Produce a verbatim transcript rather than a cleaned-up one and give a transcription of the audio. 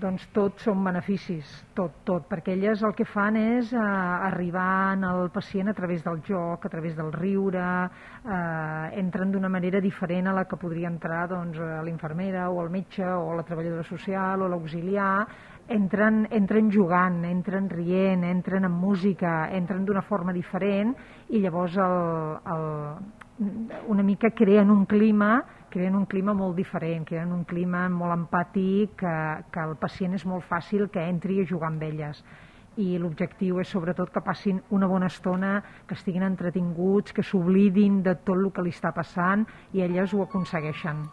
Doncs tot són beneficis, tot, tot, perquè elles el que fan és eh, arribar al pacient a través del joc, a través del riure, eh, entren d'una manera diferent a la que podria entrar doncs, l'infermera o el metge o la treballadora social o l'auxiliar, entren, entren jugant, entren rient, entren amb música, entren d'una forma diferent i llavors el, el, una mica creen un clima creen un clima molt diferent, creen un clima molt empàtic, que, que el pacient és molt fàcil que entri a jugar amb elles. I l'objectiu és sobretot que passin una bona estona, que estiguin entretinguts, que s'oblidin de tot el que li està passant i elles ho aconsegueixen.